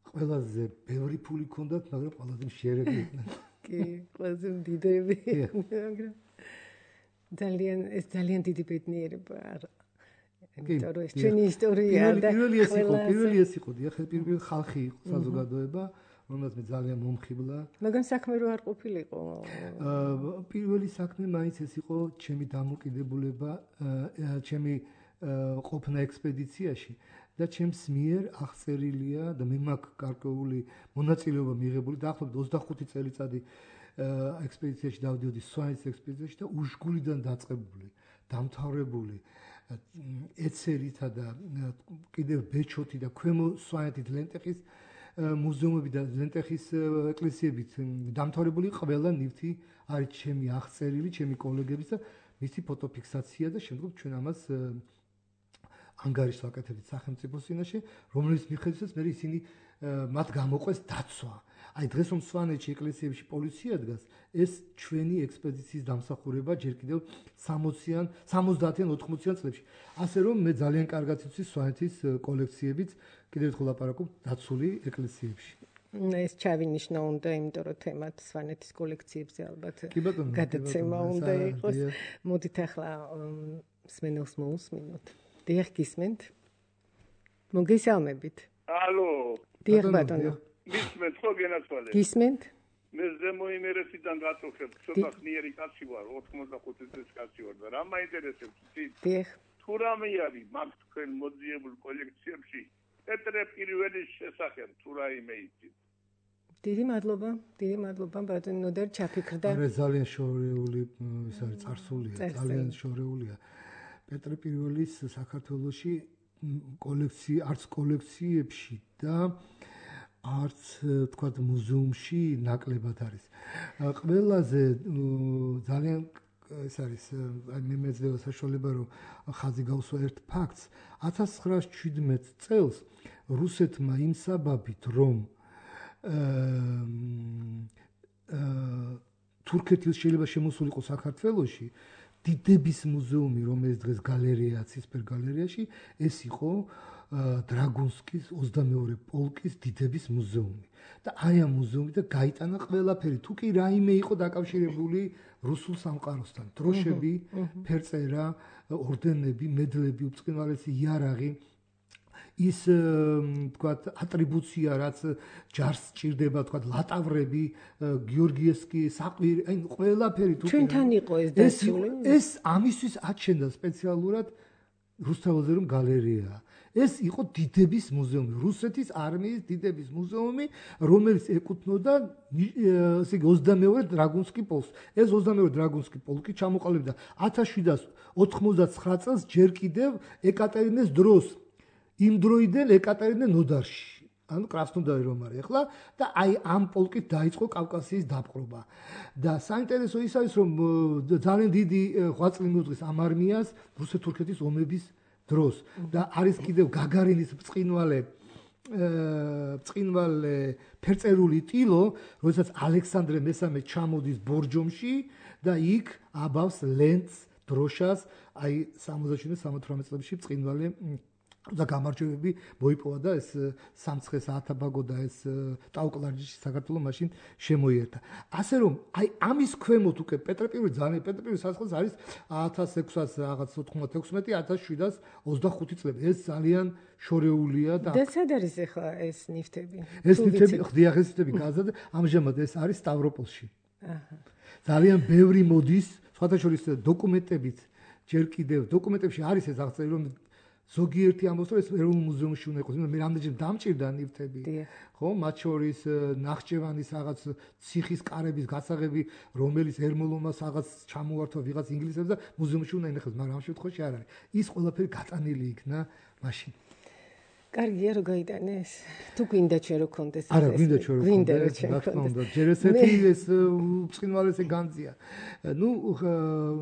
ყველაზე ბევრი ფული ჰქონდათ, მაგრამ ყველაზე მშიერები იყვნენ. კი, ყველაზე დიდები. მაგრამ ძალიან დიდი ბედნიერება. იმიტომ რომ ეს ჩვენი ისტორია და პირველი ეს იყო, დიახ, პირველი ხალხი იყო საზოგადოება, რომელსაც მე ძალიან მომხიბლა. მაგრამ საქმე რო არ ყოფილიყო. პირველი საქმე მაინც ეს იყო ჩემი დამოკიდებულება, ჩემი ყოფნა ექსპედიციაში და ჩემს მიერ აღწერილია და მე მაქვს გარკვეული მონაწილეობა მიღებული დაახლოებით 25 წელიწადი ექსპედიციაში დავდიოდი სვანეთის ექსპედიციაში და უშგულიდან დაწყებული, დამთავრებული ეცერითა და კიდევ ბეჩოთი და ქვემო სვანეთის ლენტეხის მუზეუმები და ლენტეხის ეკლესიებით დამთავრებული ყველა ნივთი არის ჩემი აღწერილი, ჩემი კოლეგების და მისი ფოტოფიქსაცია და შემდგომ ჩვენ ამას ანგარიშს ვაკეთებთ სახელმწიფოს წინაშე, რომლის მიხედვითაც მე ისინი მათ გამოყვეს დაცვა. აი დღეს რომ სვანეთში ეკლესიებში პოლიცია დგას, ეს ჩვენი ექსპედიციის დამსახურება ჯერ კიდევ 60-იან, 70-იან, 80-იან წლებში. ასე რომ მე ძალიან კარგად ვიცი სვანეთის კოლექციებით, კიდევ ერთხელ ლაპარაკობ დაცული ეკლესიებში. ეს ჩავინიშნა უნდა, იმიტომ რომ თემად სვანეთის კოლექციებზე ალბათ კი ბატონო, გადაცემა უნდა იყოს. მოდით ახლა მსმენელს მოусმინოთ. დიახ, გისმენთ? მოგესალმებით. ალო. დიახ, ბატონო. გისმენთ ხო გენაცვალე? გისმენთ? მე ზემო იმერეთიდან გაწუხებ, ცოტა ხნიერი კაცი ვარ, 85 წლის კაცი ვარ და რა მაინტერესებს იცით? დიახ. თუ რამე არის მაგ თქვენ მოძიებულ კოლექციებში პეტრე პირველის შესახებ თუ რაიმე იცით? დიდი მადლობა ბატონო ნოდარ ჩაფიქრდა. არა ძალიან შორეული ის არის წარსულია, ძალიან შორეულია. პეტრე პირველის საქართველოში არც კოლექციებში და არც თქვათ მუზეუმში ნაკლებად არის. ყველაზე ძალიან ეს არის მე მეძლევა საშუალება რომ ხაზი გავსვა ერთ ფაქტს 1917 წელს რუსეთმა იმსაბაბით რომ თურქეთის შეიძლება შემოსულიყო საქართველოში დიდების მუზეუმი რომელიც დღეს გალერეაა ცისფერ გალერეაში ეს იყო დრაგუნსკის 22 პოლკის დიდების მუზეუმი და აი ამ მუზეუმიდან გაიტანა ყველაფერი თუ კი რაიმე იყო დაკავშირებული რუსულ სამყაროსთან დროშები ფერწერა ორდენები მედლები უწყინვალესი იარაღი ის თქვათ ატრიბუცია რაც ჯარს სჭირდება თქვათ ლატავრები გიორგიევსკი საყვირი აი ყველაფერი თუ ჩვენთან იყო ეს დაცული ეს ამისთვის აჩენდა სპეციალურად რუსთაველზე რომ გალერეაა ეს იყო დიდების მუზეუმი რუსეთის არმიის დიდების მუზეუმი რომელიც ეკუთვნოდა ესე იგი 22 დრაგუნსკი პოლკს ეს 22 დრაგუნსკი პოლკი ჩამოყალიბდა 1789 წელს ჯერ კიდევ ეკატერინეს დროს იმ დროიდან ეკატერინე ნოდარში ანუ კრასნოდარი რომ არის ახლა და აი ამ პოლკით დაიწყო კავკასიის დაპყრობა და საინტერესო ის არის რომ ძალიან დიდი ღვაწლი მიუძღვის ამ არმიას რუსეთ-თურქეთის ომების დროს და არის კიდევ გაგარინის ბრწყინვალე ფერწერული ტილო როდესაც ალექსანდრე მესამე ჩამოდის ბორჯომში და იქ აბავს ლენტს დროშას აი 67-78 წლებში ბრწყინვალე და გამარჯვებები მოიპოვა და ეს სამცხე საათაბაგო და ეს ტაუკლარჯიში საქართველოს მაშინ შემოიერთა. ასე რომ აი ამის ქვემოთ უკვე პეტრე პირველი ძალიან პეტრე პირველი სასახლეც არის 1696-1725 წლები. ეს ძალიან შორეულია და სად არის ახლა ეს ნივთები? ეს ნივთები ხდიახ ეს ნივთები გაზარდა ამჟამად ეს არის სტავროპოლში. ძალიან ბევრი მოდის, სხვათა შორის დოკუმენტებით ჯერ კიდევ დოკუმენტებში არის ეს აღწერილი რომ ზოგიერთი ამბობს რომ ეს ეროვნულ მუზეუმში უნდა იყოს. მე რამდენჯერ დამჭირდა ნივთები. ხო, მათ შორის ნახჭევანის რაღაც ციხის კარების გასაღები, რომელიც ერმოლოვმა რაღაც ჩამოართვა ვიღაც ინგლისელს და მუზეუმში უნდა ინახოს, მაგრამ ამ შემთხვევაში არ არის. ის ყველაფერი გატანილი იქნა მაშინ. კარგია რომ გაიტანეს. თუ გვინდა ჩვენ რო კონდეს ეს. არა, გვინდა ჩვენ რო კონდეს. რა თქმა უნდა, ჯერ ესეთი ეს ბრწყინვალესი განძია. ნუ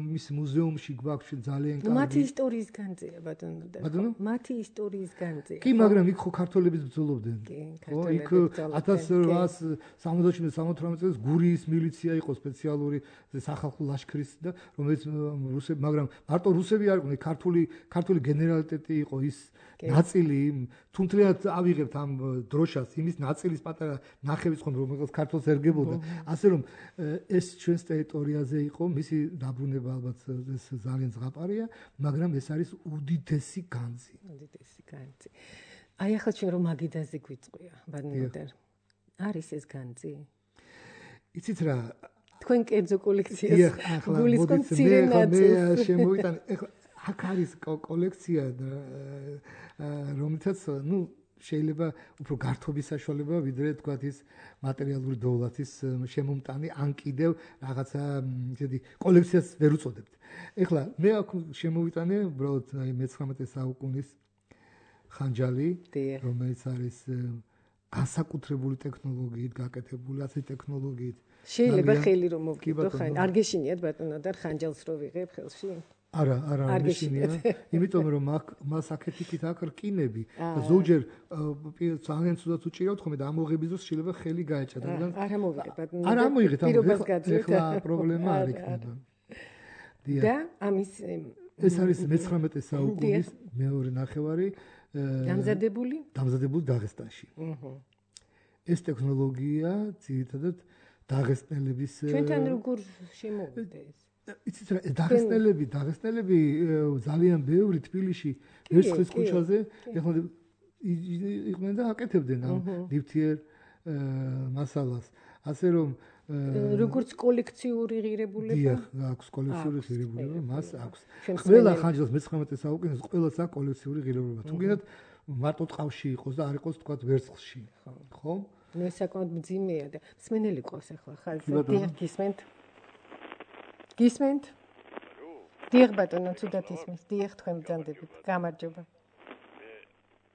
მის მუზეუმში გვაქვს ძალიან კარგი. მათი ისტორიის განძია ბატონო და. მათი ისტორიის განძია. კი, მაგრამ იქ ხო ქართველები ბრძოლობდნენ. ხო, იქ 1877-78 წელს გურიის მილიცია იყო სპეციალური სახალხო ლაშქრის და რომელიც რუსები, მაგრამ მარტო რუსები არ იყვნენ, ქართული გენერალიტეტი იყო ის ნაწილი თუნდაც ავიღებთ ამ დროშას იმის ნაწილის პატარა ნახევის ხომ რომელსაც ქართულს ერგებოდა ასე რომ ეს ჩვენს ტერიტორიაზე იყო მისი დაბრუნება ალბათ ეს ძალიან ზღაპარია მაგრამ ეს არის უდიდესი განძი აი ახლა ჩვენ რომ მაგიდაზე გვიწყვია ბადნოდარ არის ეს განძი იცით რა თქვენ კერძო კოლექციას გულისხმობთ მცირე ნაწილს შემოვიტანე ახლა აქ არის კოლექცია რომელთაც ნუ შეიძლება უფრო გართობის საშუალება ვიდრე თქვათ ის მატერიალური დოვლათის შემომტანი ან კიდევ რაღაცა ისეთი კოლექციას ვერ უწოდებთ. ეხლა მე აქ შემოვიტანე უბრალოდ აი მე-19 საუკუნის ხანჯალი რომელიც არის განსაკუთრებული ტექნოლოგიით გაკეთებული ასე ტექნოლოგიით შეიძლება ხელი რომ მოვკიდო ხან არ გეშინიათ ბატონო და ხანჯალს რო ვიღებ ხელში არა მეშინია იმიტომ რომ მას აქეთიკით აქ რკინები და ზოგჯერ ძალიან ცუდად უჭირავთ ხოლმე და ამოღების დროს შეიძლება ხელი გაეჭა და არა მოვიღებ ბატონო არა მოიღეთ ეხლა პრობლემა არ იქნება და ამის ეს არის მე-19 საუკუნის მეორე ნახევარი დამზადებული დაღესტანში ეს ტექნოლოგია ძირითადად დაღესტნელების ჩვენთან როგორ შემოვიდა ეს? იცით რა, დაღესტნელები ძალიან ბევრი თბილისში ვერცხლის ქუჩაზე ეხლა იყვნენ და აკეთებდნენ ამ ნივთიერ მასალას. ასე რომ როგორც კოლექციური ღირებულება? აქვს კოლექციური ღირებულება, მას აქვს. ყველა ხანჯალს მე-19 საუკუნეში ყველას აქვს კოლექციური ღირებულება. თუ გინდათ მარტო ტყავში იყოს და არ იყოს თქვა ვერცხლში. ხო? მე საკმაოდ მძიმეა და მსმენელი ყავს ახლა ხალხი. გისმენთ? გისმენთ? დიახ ბატონო, თუდად ისმის. დიახ, თქვენ ბრძანდებით. გამარჯობა. მე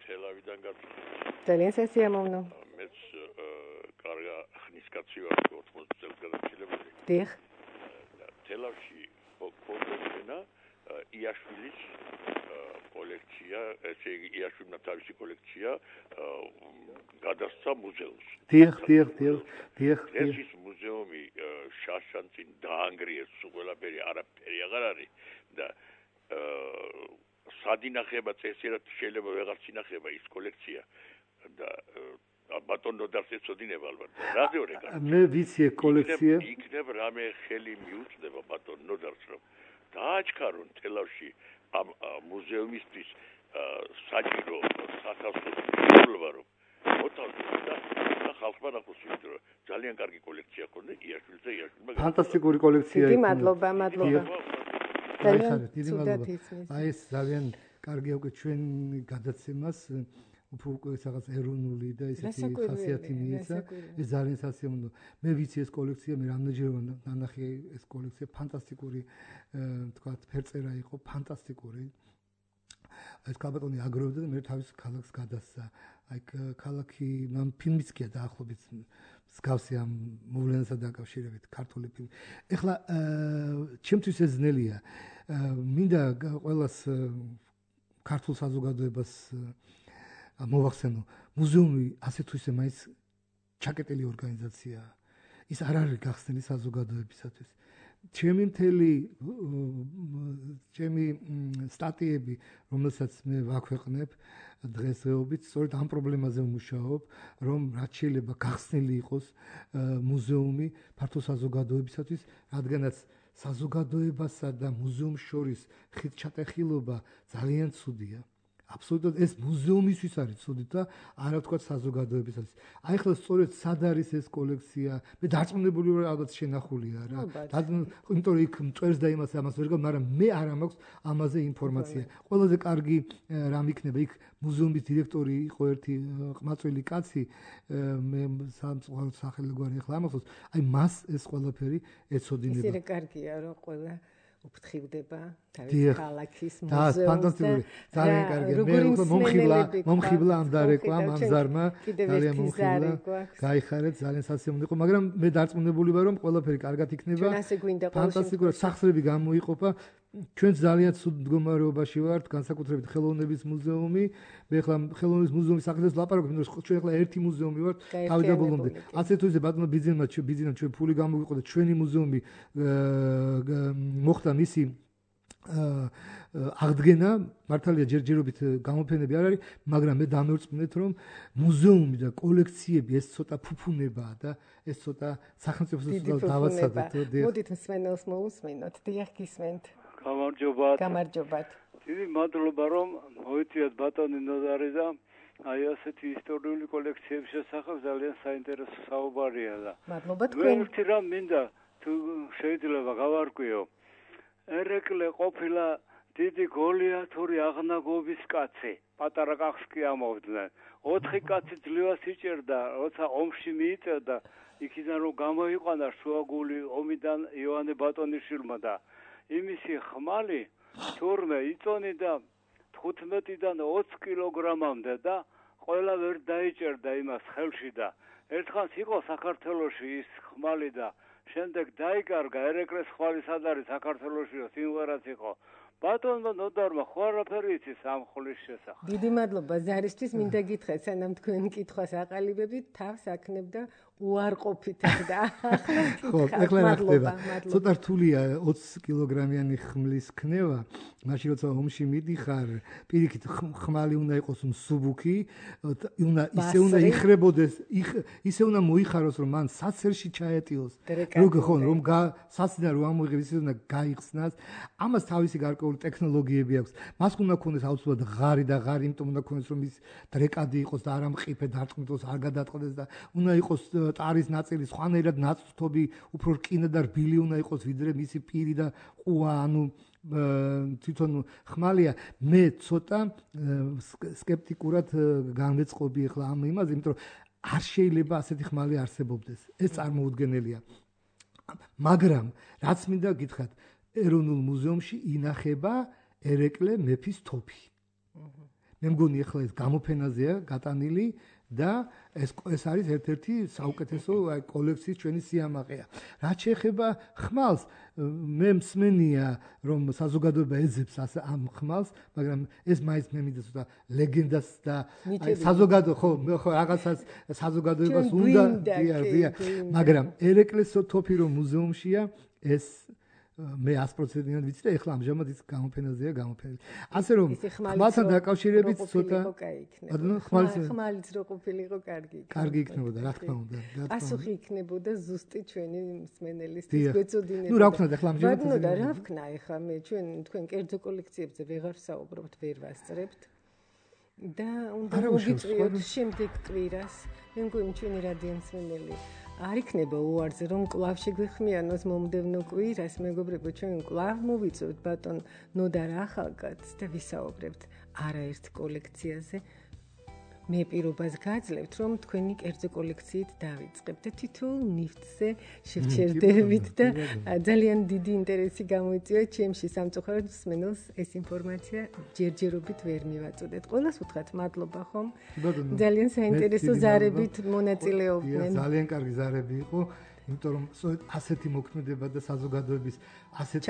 თელავიდან გავწევ. ძალიან სასიამოვნო. მეც კარგა ხნის კაცი ვარ 80 წელს გადაჭილებული. დიახ. თელავში ფოტოენა იაშვილის კოლექცია, ესე იგი იაშვილმა თავისი კოლექცია გადასცა მუზეუმს. დიახ. ეს მუზეუმი შაშანწინ დაანგრიეს ყველაფერი, არაფერი აღარ არის და სადინახება წესიერად შეიძლება ვეღარც ინახება ის კოლექცია და ბატონო დასწოდინება ალბათ. რა ზეორე კაცი? მე ვიცი კოლექცია. იქნებ რამე ხელი მიუწდება ბატონო დას რომ დააჩქარონ თელავში ამ მუზეუმისთვის საჭირო სათავსო მიღება რომ მოთავსდა და ხალხმა ნახოს იმიტომ რომ ძალიან კარგი კოლექცია ქონდა იაშვილს და იაშვილმა ფანტასტიკური კოლექცია. დიდი მადლობა. დიდი მადლობა. აი ეს ძალიან კარგი უკვე ჩვენ გადაცემას უკვე რაღაც ეროვნული და ისეთი ხასიათი მიეცა. ეს ძალიან სასიამოვნო. მე ვიცი ეს კოლექცია, მე რამდენჯერმე ნანახი ეს კოლექცია ფანტასტიკური თქვა ფერწერა იყო, ფანტასტიკური. ეს კაბატონი აგროვდა და მე თავის ქალაქს გადასცა. აი ქალაქი მან ფილმიც კი დაახლოებით მსგავსი ამ მოვლენასთან დაკავშირებით ქართული ფილმი. ეხლა ჩემთვის ეს ძნელია. მინდა ყველას ქართულ საზოგადოებას მოვახსენო, მუზეუმი ასე თუ ისე მაინც ჩაკეტილი ორგანიზაციაა. ის არ არის გახსნილი საზოგადოებისათვის. ჩემი სტატიები, რომელსაც მე ვაქვეყნებ დღესდღეობით, სწორედ ამ პრობლემაზე ვმუშაობ, რომ რაც შეიძლება გახსნილი იყოს მუზეუმი ფართო საზოგადოებისათვის, რადგანაც საზოგადოებასა და მუზეუმს შორის ხიდჩატეხილობა ძალიან ცუდია. აბსოლუტურად ეს მუზეუმისთვის არის ცუდი და არა ვთქვათ საზოგადოებისათვის. აი ახლა სწორედ სად არის ეს კოლექცია? მე დარწმუნებული ვარ, ალბათ შენახულია რა. იმიტომ რომ იქ მწვერს და ამას ვერ გავ, მაგრამ მე არ მაქვს ამაზე ინფორმაცია. ყველაზე კარგი რამ იქნება იქ მუზეუმის დირექტორი იყო ერთი ყმაწვილი კაცი, მე სამწუხაროდ სახელი გვარი ახლა ამახსოვს. აი მას ეს ყველაფერი ეცოდინება. ისე კარგია რომ ყველა უფრთხილდება თავის ქალაქის მუზეუმს. და ფანტასტიკური, ძალიან კარგია. მე უკვე მომხიბლა ამ დარეკვამ, ამ ზარმა, ძალიან მომხიბლა. გაიხარეთ, ძალიან სასიამოვნო იყო, მაგრამ მე დარწმუნებული ვარ, რომ ყველაფერი კარგად იქნება. ფანტასტიკურად სახსრები გამოიყოფა. ჩვენ ძალიან ცუდ მდგომარეობაში ვართ, განსაკუთრებით ხელოვნების მუზეუმი. მე ახლა ხელოვნების მუზეუმის საკითხებს ლაპარაკობ, იმიტომ რომ ჩვენ ახლა ერთი მუზეუმი ვართ თავდაბოლომდე. ასე თუ ისე ბატონო ბიძინამ ჩვენ ფული გამოვიყო და ჩვენი მუზეუმი მოხდა მისი აღდგენა, მართალია ჯერჯერობით გამოფენები არ არის, მაგრამ მე დამერწმუნეთ, რომ მუზეუმი და კოლექციები ეს ცოტა ფუფუნებაა და ეს ცოტა სახელმწიფოს დავაცადოთ. მოდით მსმენელს მოусმინოთ. დიახ, გისმენთ. გამარჯობათ. დიდი მადლობა რომ მოიწვიათ ბატონი ნოდარი და აი ასეთი ისტორიული კოლექციების შესახებ ძალიან საინტერესო საუბარია და მადლობა თქვენ. ერთი რამ მინდა თუ შეიძლება გავარკვიო. ერეკლე ყოფილა დიდი გოლიათური აღნაგობის კაცი. პატარა კახს კი ამოვდნენ. 4 კაცი ძლივას იჭერდა, როცა ომში მიიწევდა, იქიდან რომ გამოიყვანა შუაგული ომიდან იოანე ბატონიშვილმა და იმისი ხმალი თურმე იწონიდა 15-დან 20 კილოგრამამდე და ყველა ვერ დაიჭერდა იმას ხელში და ერთხანს იყო საქართველოში ის ხმალი და შემდეგ დაიკარგა ერეკლეს ხმალი სად არის საქართველოშიო სიმღერაც იყო ბატონმა ნოდარმა ხო არაფერი იცის ამ ხულის შესახებ. დიდი მადლობა ზარისთვის, მინდა გითხრათ, სანამ თქვენ კითხვას აყალიბებით, თავს აქნებ და უარყოფით და ხო, ეხლა რა ხდება? ცოტა რთულია 20 კილოგრამიანი ხმლის ქნება, მაშინ როცა ომში მიდიხარ, პირიქით ხმალი უნდა იყოს მსუბუქი, ისე უნდა იხრებოდეს, ისე უნდა მოიხაროს, რომ მან საცერში ჩაეტიოს. რომ საციდან რომ ამოიღებს, ისე უნდა გაიხსნას. ამას თავისი გარკვეული ტექნოლოგიები აქვს. მას უნდა ქონდეს აუცილებლად ღარი და ღარი, იმიტომ უნდა ქონდეს რომ ის დრეკადი იყოს და არ ამყიფე დარტყმიტოს, არ გადატყდეს და უნდა იყოს ტარის ნაწილი სხვანაირად ნაწწობი, უფრო რკინა და რბილი უნდა იყოს ვიდრე მისი პირი და ყუა, ანუ თვითონ ხმალია. მე ცოტა სკეპტიკურად განვეწყობი ახლა ამ იმაზე, იმიტომ რომ არ შეიძლება ასეთი ხმალი არსებობდეს. ეს წარმოუდგენელია. მაგრამ რაც მინდა გითხრათ, ეროვნულ მუზეუმში ინახება ერეკლე მეფის თოფი. მე მგონი ახლა ეს გამოფენაზეა გატანილი და ეს არის ერთ-ერთი საუკეთესო კოლექციის ჩვენი სიამაყეა. რაც შეეხება ხმალს, მე მსმენია რომ საზოგადოება ეძებს ამ ხმალს, მაგრამ ეს მაინც მე მინდა ცოტა ლეგენდას და საზოგადო ხო რაღაცას საზოგადოებას უნდა მაგრამ ერეკლეს თოფი რომ მუზეუმშია ეს მე 100%-ად ვიცი და ეხლა ამჟამად ის გამოფენაზეა გამოფენილი. ასე რომ ხმალთან დაკავშირებით ცოტა ხმალიც რო ყოფილიყო კარგი იქნებოდა, რა თქმა უნდა. პასუხი იქნებოდა ზუსტი ჩვენი მსმენელისთვის გვეწოდინება. ნუ რა ვქნათ ეხლა ამჟამად? ბატონო, რა ვქნა ეხლა მე თქვენ კერძო კოლექციებზე ვეღარ ვსაუბრობთ, ვერ ვასწრებთ. და უნდა მოგიწვიოთ შემდეგ კვირას. მე მგონი ჩვენი რადიო მსმენელი არ იქნება უარზე რომ კლავ შეგვიხმიანოს მომდევნო კვირას, მეგობრებო, ჩვენ კლავ მოვიწევთ ბატონ ნოდარ ახალკაცს და ვისაუბრებთ არაერთ კოლექციაზე. მე პირობას გაძლევთ რომ თქვენი კერძო კოლექციით დავიწყებთ და თითოეულ ნივთზე შევჩერდებით და ძალიან დიდი ინტერესი გამოიწვია ჩემში სამწუხაროდ მსმენელს ეს ინფორმაცია ჯერჯერობით ვერ მივაწოდეთ. ყველას უთხრათ მადლობა ხომ? ძალიან საინტერესო ზარებით მონაწილეობდნენ. ძალიან კარგი ზარები იყო, იმიტომ რომ ასეთი მოქმედება და საზოგადოების ასეთი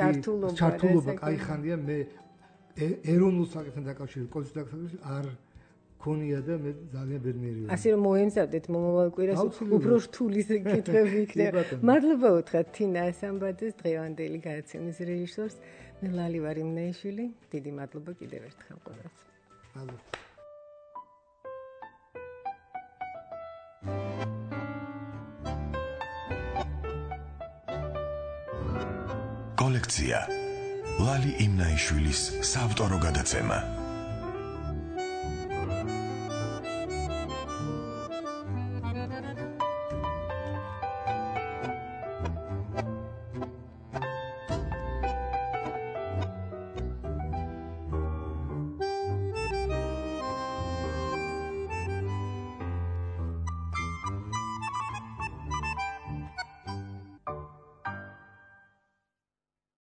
ჩართულობა кайხანია. მე ეროვნულ საკითხთან დაკავშირებით კოლექციასთან არ ქონია და მე ძალიან ბედნიერი ვარ. ასე რომ მოემზადეთ მომავალ კვირას უფრო რთული კითხვები იქნება. მადლობა უთხრათ თინა ასამბაძეს, დღევანდელი გადაცემის რეჟისორს, მე ლალი ვარ იმნაიშვილი. დიდი მადლობა კიდევ ერთხელ ყველას. მადლობა. კოლექცია ლალი იმნაიშვილის საავტორო გადაცემა.